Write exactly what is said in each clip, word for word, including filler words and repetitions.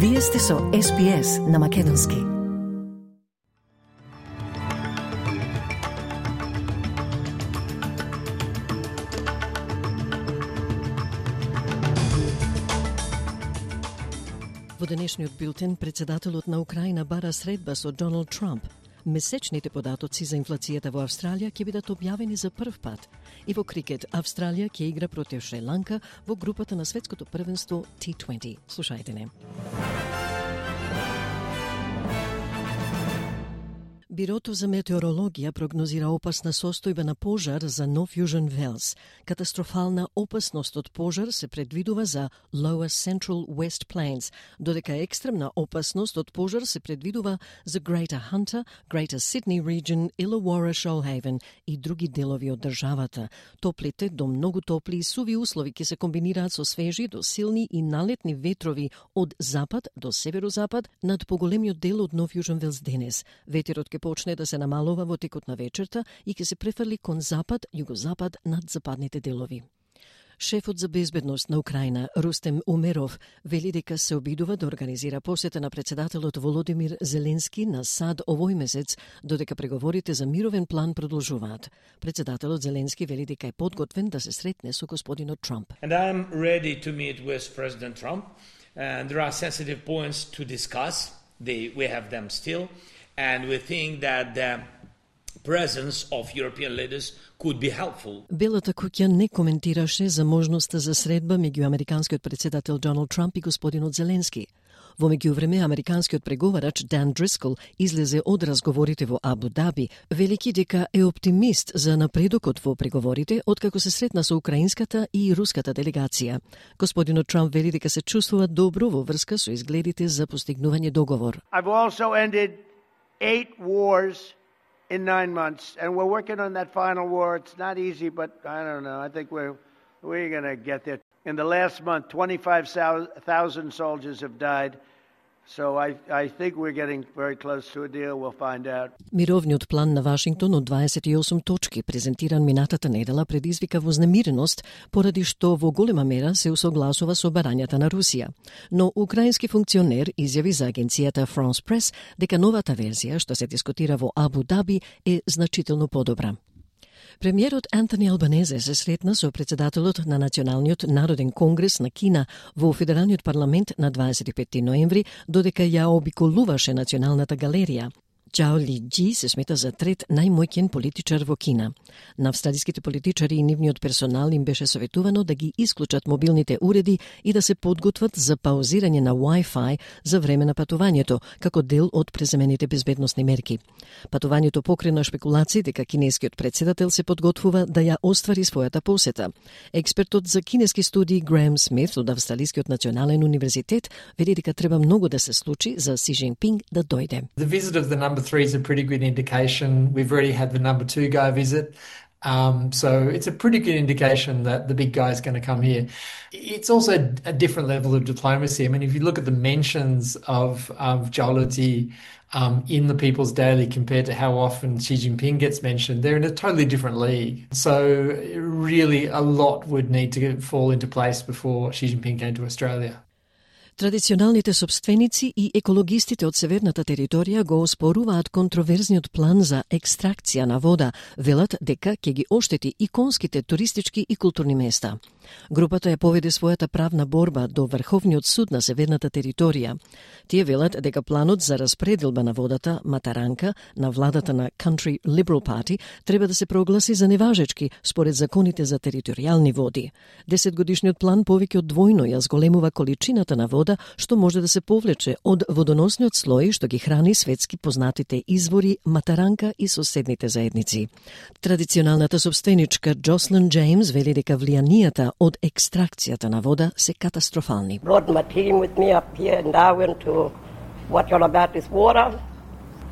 Вие сте со Ес Би Ес на Македонски. Во денешниот билтен, председателот на Украина бара средба со Доналд Трамп. Месечните податоци за инфлацијата во Австралија ќе бидат објавени за прв пат. И во крикет, Австралија ќе игра против Шри-Ланка во групата на светското првенство Ти дваесет. Слушајте не. Бирото за метеорологија прогнозира опасна состојба на пожар за Нов Јужен Велс. Катастрофална опасност од пожар се предвидува за Lower Central West Plains, додека екстремна опасност од пожар се предвидува за Greater Hunter, Greater Sydney Region, Illawarra, Shoalhaven и други делови од државата. Топлите до многу топли и суви услови ќе се комбинираат со свежи до силни и налетни ветрови од запад до северозапад над поголемиот дел од Нов Јужен Велс денес. Ветерот ќе почне да се намалува во текот на вечерта и ќе се префрли кон запад, југозапад над западните делови. Шефот за безбедност на Украина, Рустем Умеров, вели дека се обидува да организира посета на председателот Володимир Зеленски на САД овој месец, додека преговорите за мировен план продолжуваат. Председателот Зеленски вели дека е подготвен да се сретне со господинот Трамп. And I am ready to meet with President Trump, and there are sensitive points to discuss. They, we have them still. And we think that the presence of European leaders could be helpful. Белата куќа не коментираше за можноста за средба меѓу американскиот председател Доналд Трамп и господинот Зеленски. Во меѓувреме, американскиот преговарач Дан Дрискол излезе од разговорите во Абу Даби, велики дека е оптимист за напредокот во преговорите откако се сретна со украинската и руската делегација. Господинот Трамп вели дека се чувствува добро во врска со изгледите за постигнување договор. I've also ended eight wars in nine months, and we're working on that final war. It's not easy, but I don't know. I think we're we're going to get there. In the last month, twenty-five thousand soldiers have died. So I I think we're getting very close to a deal. We'll find out. Мировниот план на Вашингтон од дваесет и осум точки, презентиран минатата недела, предизвика вознемиреност поради што во голема мера се усогласува со барањата на Русија. Но украински функционер изјави за агенцијата France Press дека новата верзија што се дискутира во Абу Даби е значително подобра. Премиерот Антони Албанезе се сретна со председателот на Националниот народен конгрес на Кина во Федералниот парламент на дваесет и петти ноември, додека ја обиколуваше Националната галерија. Чао Ли Џи се смета за трет најмоќен политичар во Кина. На австралиските политичари и нивниот персонал им беше советувано да ги исклучат мобилните уреди и да се подготват за паузирање на Wi-Fi за време на патувањето, како дел од преземените безбедносни мерки. Патувањето покрена шпекулации дека кинескиот председател се подготвува да ја оствари својата посета. Експертот за кинески студии Греем Смит од Австралискиот национален универзитет вели дека треба многу да се случи за Си Джинпинг да дојде. The visit of the number three is a pretty good indication. We've already had the number two guy visit. Um, so it's a pretty good indication that the big guy is going to come here. It's also a different level of diplomacy. I mean, if you look at the mentions of, of Zhao um, in the People's Daily compared to how often Xi Jinping gets mentioned, they're in a totally different league. So really a lot would need to fall into place before Xi Jinping came to Australia. Традиционалните собственици и екологистите од северната територија го оспоруваат контроверзниот план за екстракција на вода, велат дека ќе ги оштети иконските туристички и културни места. Групата ја поведе својата правна борба до Врховниот суд на северната територија. Тие велат дека планот за распределба на водата Матаранка на владата на Country Liberal Party треба да се прогласи за неважечки според законите за територијални води. Десетгодишниот план повеќе од двојно ја зголемува количината на вода што може да се повлече од водоносниот слој што ги храни светски познатите извори Матаранка и соседните заедници. Традиционалната собственичка Джослин Джеймс вели дека влијанијата од екстракцијата на вода се катастрофални. Brought my team with me up here in Darwin to watch all about this water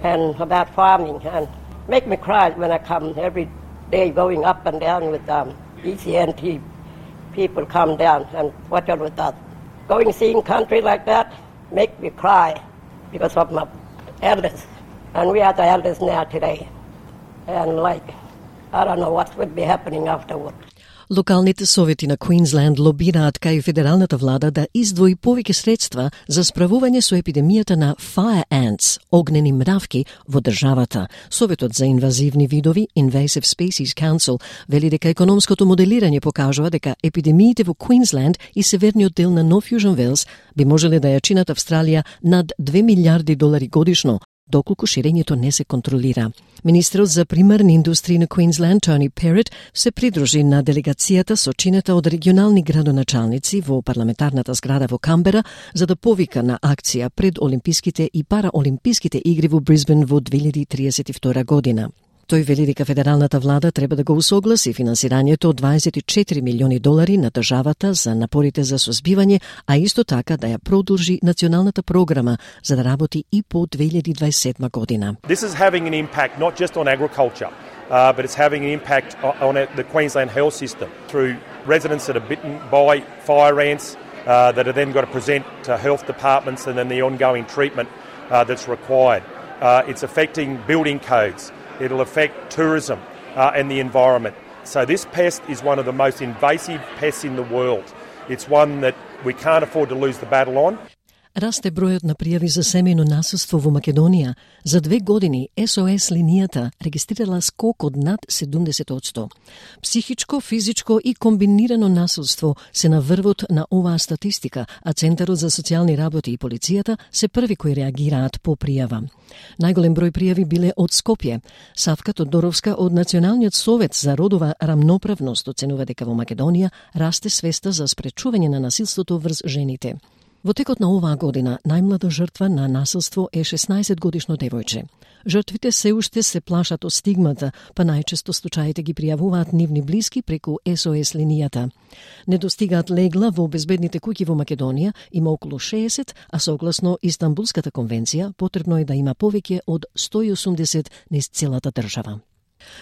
and about farming, and make me cry when I come every day going up and down with um, E C N T people come down and watch all with us. Going seeing country like that make me cry because of my elders, and we are the elders now today, and like I don't know what would be happening afterward. Локалните совети на Квинсленд лобираат кај федералната влада да издвои повеќе средства за справување со епидемијата на fire ants, огнени мравки, во државата. Советот за инвазивни видови, Invasive Species Council, вели дека економското моделирање покажува дека епидемиите во Квинсленд и северниот дел на Нов Јужен Велс би можеле да ја чинат Австралија над две милиарди долари годишно, доколку ширењето не се контролира. Министерот за примарни индустрии на Квинсленд, Тони Перет, се придружи на делегацијата со чинета од регионални градоначалници во парламентарната зграда во Камбера за да повика на акција пред Олимписките и Параолимписките игри во Брисбен во две илјади триесет и втора година. Тој вели дека федералната влада треба да го усогласи финансирањето од дваесет и четири милиони долари на државата за напорите за созбивање, а исто така да ја продолжи националната програма за да работи и по две илјади дваесет и седма година. This is having an impact not just on agriculture, uh, but it's having an impact on the Queensland health system through residents that are bitten by fire ants uh, that are then got to present to health departments and then the ongoing treatment uh, that's required. Uh, it's affecting building codes. It'll affect tourism uh, and the environment. So this pest is one of the most invasive pests in the world. It's one that we can't afford to lose the battle on. Расте бројот на пријави за семејно насилство во Македонија. За две години Ес О Ес линијата регистрирала скок од над седумдесет одсто. Психичко, физичко и комбинирано насилство се на врвот на оваа статистика, а Центарот за социјални работи и полицијата се први кои реагираат по пријава. Најголем број пријави биле од Скопје. Савка Тодоровска од Националниот совет за родова рамноправност оценува дека во Македонија расте свеста за спречување на насилството врз жените. Во текот на оваа година, најмлада жртва на насилство е шеснаесет годишно девојче. Жртвите се уште се плашат од стигмата, па најчесто случаите ги пријавуваат нивни блиски преку Ес О Ес линијата. Не достигаат легла во безбедните куќи во Македонија, има околу шеесет, а согласно Истанбулската конвенција, потребно е да има повеќе од сто и осумдесет низ целата држава.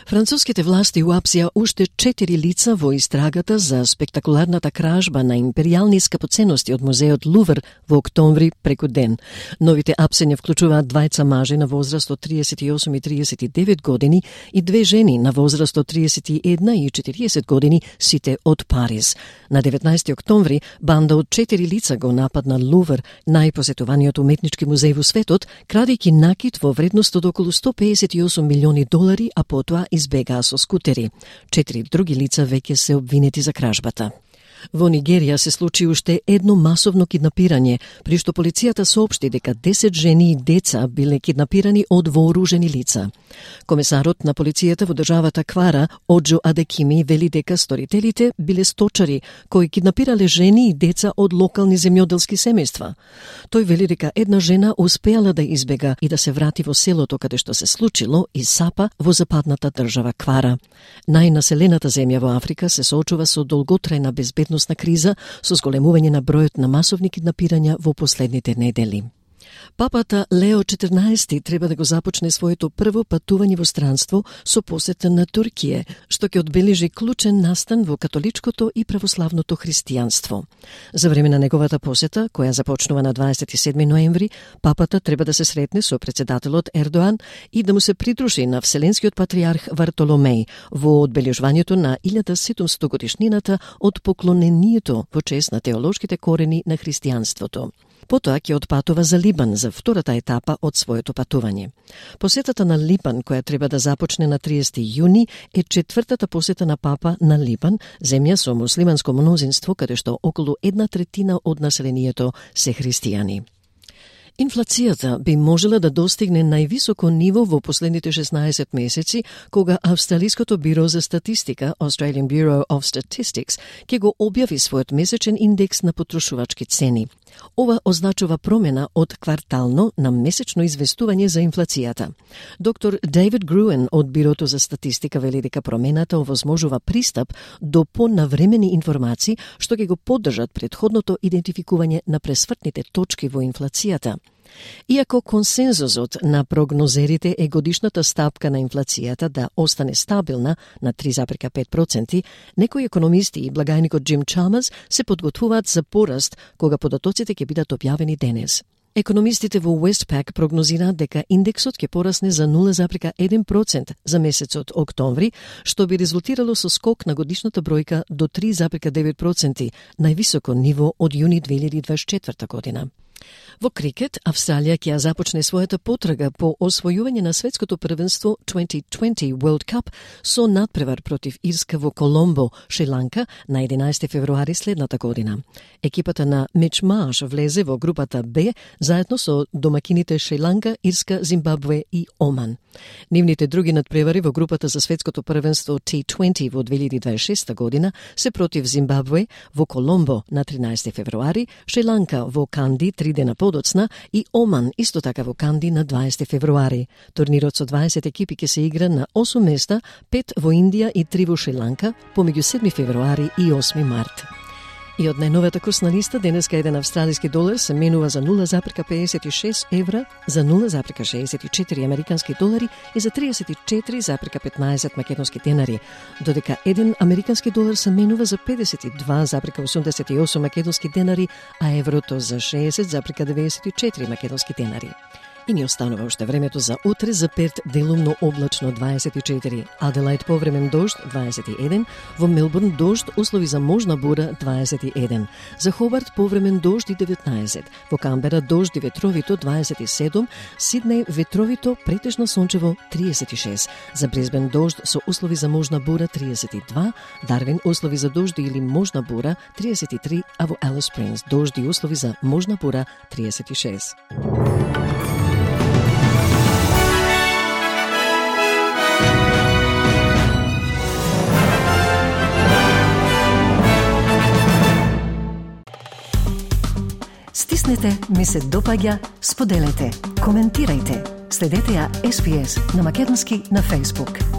Француските власти уапсија уште четири лица во истрагата за спектакуларната кражба на империјални скапоценности од музеот Лувр во октомври преку ден. Новите апсења вклучуваат двајца мажи на возраст од триесет и осум и триесет и девет години и две жени на возраст од триесет и една и четириесет години, сите од Париз. На деветнаесети октомври банда од четири лица го нападна Лувр, најпосетуваниот уметнички музеј во светот, крадејќи накит во вредност од околу сто педесет и осум милиони долари, а потоа избегаа со скутери. Четири други лица веќе се обвинети за кражбата. Во Нигерија се случи уште едно масовно киднапирање, при што полицијата соопшти дека десет жени и деца биле киднапирани од вооружени лица. Комесарот на полицијата во државата Квара, Оджо Адекими, вели дека сторителите биле сточари кои киднапирале жени и деца од локални земјоделски семејства. Тој вели дека една жена успеала да избега и да се врати во селото каде што се случило и Сапа во западната држава Квара. Најнаселената земја во Африка се соочува со долготрајна безбедност на криза со зголемување на бројот на масовни киднапирања во последните недели. Папата Лео четрнаесети треба да го започне своето прво патување во странство со посета на Туркија, што ќе одбележи клучен настан во католичкото и православното христијанство. За време на неговата посета, која започнува на дваесет и седми ноември, папата треба да се сретне со председателот Ердоан и да му се придружи на Вселенскиот патриарх Вартоломеј во одбележувањето на илјада седумстото годишнината од поклонението во чест на теолошките корени на христијанството. Потоа ќе отпатува за Либан за втората етапа од своето патување. Посетата на Либан, која треба да започне на триесети јуни, е четвртата посета на папа на Либан, земја со муслиманско мнозинство, каде што околу една третина од населението се христијани. Инфлацијата би можела да достигне највисоко ниво во последните шеснаесет месеци, кога Австралиското биро за статистика, Australian Bureau of Statistics, ќе го објави својот месечен индекс на потрошувачки цени. Ова означува промена од квартално на месечно известување за инфлацијата. Доктор Дейвид Груен од Бирото за статистика вели дека промената овозможува пристап до понавремени информации што ќе го поддржат претходното идентификување на пресвртните точки во инфлацијата. Иако консензусот на прогнозерите е годишната стапка на инфлацијата да остане стабилна на три зарез пет проценти, некои економисти и благајникот Джим Чалмерс се подготвуваат за пораст кога податоците ќе бидат објавени денес. Економистите во Westpac прогнозираат дека индексот ќе порасне за нула запирка еден процент за месецот октомври, што би резултирало со скок на годишната бројка до три запирка девет проценти, највисоко ниво од јуни две илјади дваесет и четврта година. Во крикет, Австралија ќе започне својата потрага по освојување на светското првенство дваесет дваесет World Cup со надпревар против Ирска во Коломбо, Шри-Ланка, на единаесети февруари следната година. Екипата на Мич Марш влезе во групата Б заедно со домакините Шри-Ланка, Ирска, Зимбабве и Оман. Нивните други надпревари во групата за светското првенство Т дваесет во две илјади дваесет и шеста година се против Зимбабве во Коломбо на тринаесети февруари, Шри-Ланка во Канди три дена подоцна и Оман исто така во Канди на дваесети февруари. Турнирот со дваесет екипи ќе се игра на осум места, пет во Индија и три во Шри-Ланка, помеѓу седми февруари и осми март. И од најновата курсна листа, денеска еден австралиски долар се менува за нула запирка педесет и шест евра, за нула запирка шеесет и четири американски долари и за триесет и четири запирка петнаесет македонски денари, додека еден американски долар се менува за педесет и два запирка осумдесет и осум македонски денари, а еврото за шеесет запирка деветдесет и четири македонски денари. И ни останува уште времето за утре, за Перт делумно облачно дваесет и четири, Аделаид повремен дожд дваесет и еден, во Мелбурн дожд, услови за можна бура дваесет и еден, за Хобарт повремен дожд и деветнаесет, во Камбера дожд и ветровито дваесет и седум, Сиднеј ветровито претежно сончево триесет и шест, за Брисбен дожд со услови за можна бура триесет и два, Дарвин услови за дожди или можна бура триесет и три, а во Алис Спрингс дожди и услови за можна бура триесет и шест. Стиснете, ми се допаѓа, споделете, коментирајте. Следете ја Ес Би Ес на македонски на Facebook.